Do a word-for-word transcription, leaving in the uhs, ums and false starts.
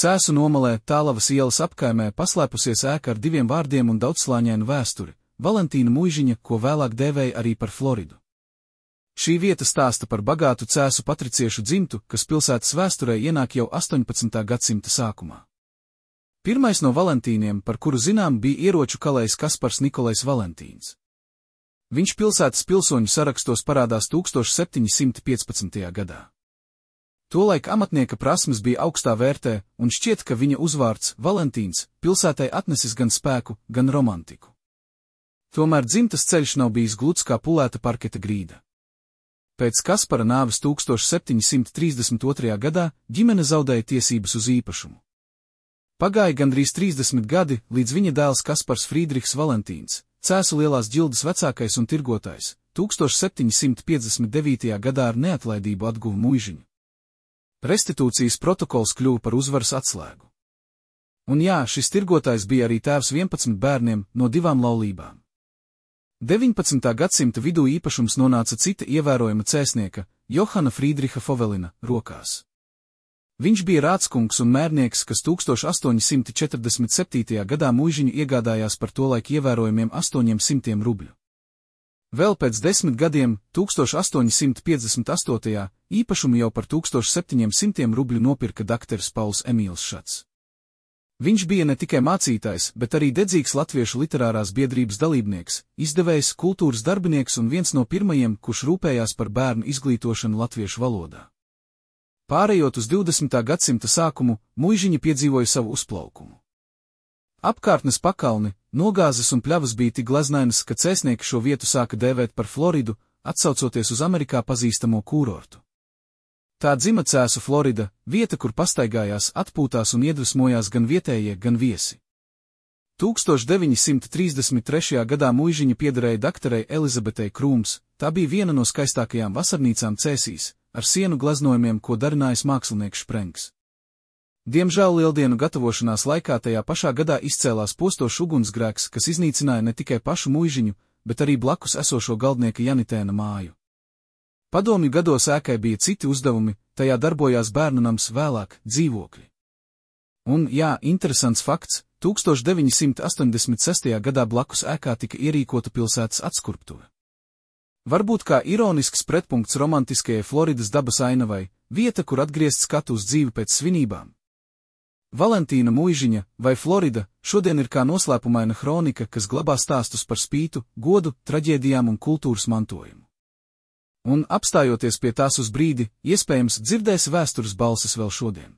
Cēsu nomalē Tālavas ielas apkaimē paslēpusies ēka ar diviem vārdiem un daudzslāņainu vēsturi – Valentīna Muižiņa, ko vēlāk dēvēja arī par Floridu. Šī vieta stāsta par bagātu cēsu patriciešu dzimtu, kas pilsētas vēsturē ienāk jau astoņpadsmitā gadsimta sākumā. Pirmais no Valentīniem, par kuru zinām, bija ieroču kalējs Kaspars Nikolais Valentīns. Viņš pilsētas pilsoņu sarakstos parādās tūkstoš septiņi simti piecpadsmitajā gadā. Tolaik amatnieka prasmes bija augstā vērtē, un šķiet, ka viņa uzvārds Valentīns pilsētai atnesis gan spēku, gan romantiku. Tomēr dzimtas ceļš nav bijis gluds kā pulēta parketa grīda. Pēc Kaspara nāves tūkstoš septiņi simti trīsdesmit otrajā gadā ģimene zaudēja tiesības uz īpašumu. Pagāja gandrīz trīsdesmit gadi, līdz viņa dēls Kaspars Frīdrihs Valentīns, Cēsu lielās ģildes vecākais un tirgotājs, tūkstoš septiņi simti piecdesmit devītajā gadā ar neatlaidību atguva Muižiņu. Restitūcijas protokols kļuva par uzvaras atslēgu. Un jā, šis tirgotājs bija arī tēvs vienpadsmit bērniem no divām laulībām. deviņpadsmitā gadsimta vidū īpašums nonāca cita ievērojama cēsnieka, Johana Frīdriha Fovelina, rokās. Viņš bija rādskungs un mērnieks, kas tūkstoš astoņi simti četrdesmit septītajā gadā Muižiņu iegādājās par tolaik ievērojamiem astoņiem simtiem rubļu. Vēl pēc desmit gadiem, tūkstoš astoņi simti piecdesmit astotajā, īpašumu jau par tūkstoš septiņiem simtiem rubļu nopirka dakteris Pauls Emīls Šats. Viņš bija ne tikai mācītājs, bet arī dedzīgs latviešu literārās biedrības dalībnieks, izdevējs, kultūras darbinieks un viens no pirmajiem, kurš rūpējās par bērnu izglītošanu latviešu valodā. Pārējot uz divdesmitā gadsimta sākumu, Muižiņa piedzīvoja savu uzplaukumu. Apkārtnes pakalni, nogāzes un pļavas bija tik glaznainas, ka cēsnieki šo vietu sāka dēvēt par Floridu, atsaucoties uz Amerikā pazīstamo kūrortu. Tā dzima Cēsu Florida, vieta, kur pastaigājās, atpūtās un iedvesmojās gan vietējie, gan viesi. tūkstoš deviņi simti trīsdesmit trešajā gadā Muižiņa piederēja dakterei Elizabetei Krūms, tā bija viena no skaistākajām vasarnīcām Cēsīs, ar sienu glaznojumiem, ko darinājis mākslinieks Šprengs. Diemžēl lieldienu gatavošanās laikā tajā pašā gadā izcēlās postošs ugunsgrēks, kas iznīcināja ne tikai pašu Muižiņu, bet arī blakus esošo galdnieka Janitēna māju. Padomju gados ēkai bija citi uzdevumi, tajā darbojās bērnu nams, vēlāk dzīvokļi. Un, jā, interesants fakts, tūkstoš deviņi simti astoņdesmit sestajā gadā blakus ēkā tika ierīkota pilsētas atskurptuve. Varbūt kā ironisks pretpunkts romantiskajai Floridas dabas ainavai, vieta, kur atgriezt skatu uz dzīvi pēc svinībām. Valentīna Muižiņa, vai Florida, šodien ir kā noslēpumaina hronika, kas glabā stāstus par spītu, godu, traģēdijām un kultūras mantojumu. Un, apstājoties pie tās uz brīdi, iespējams dzirdēs vēstures balsis vēl šodien.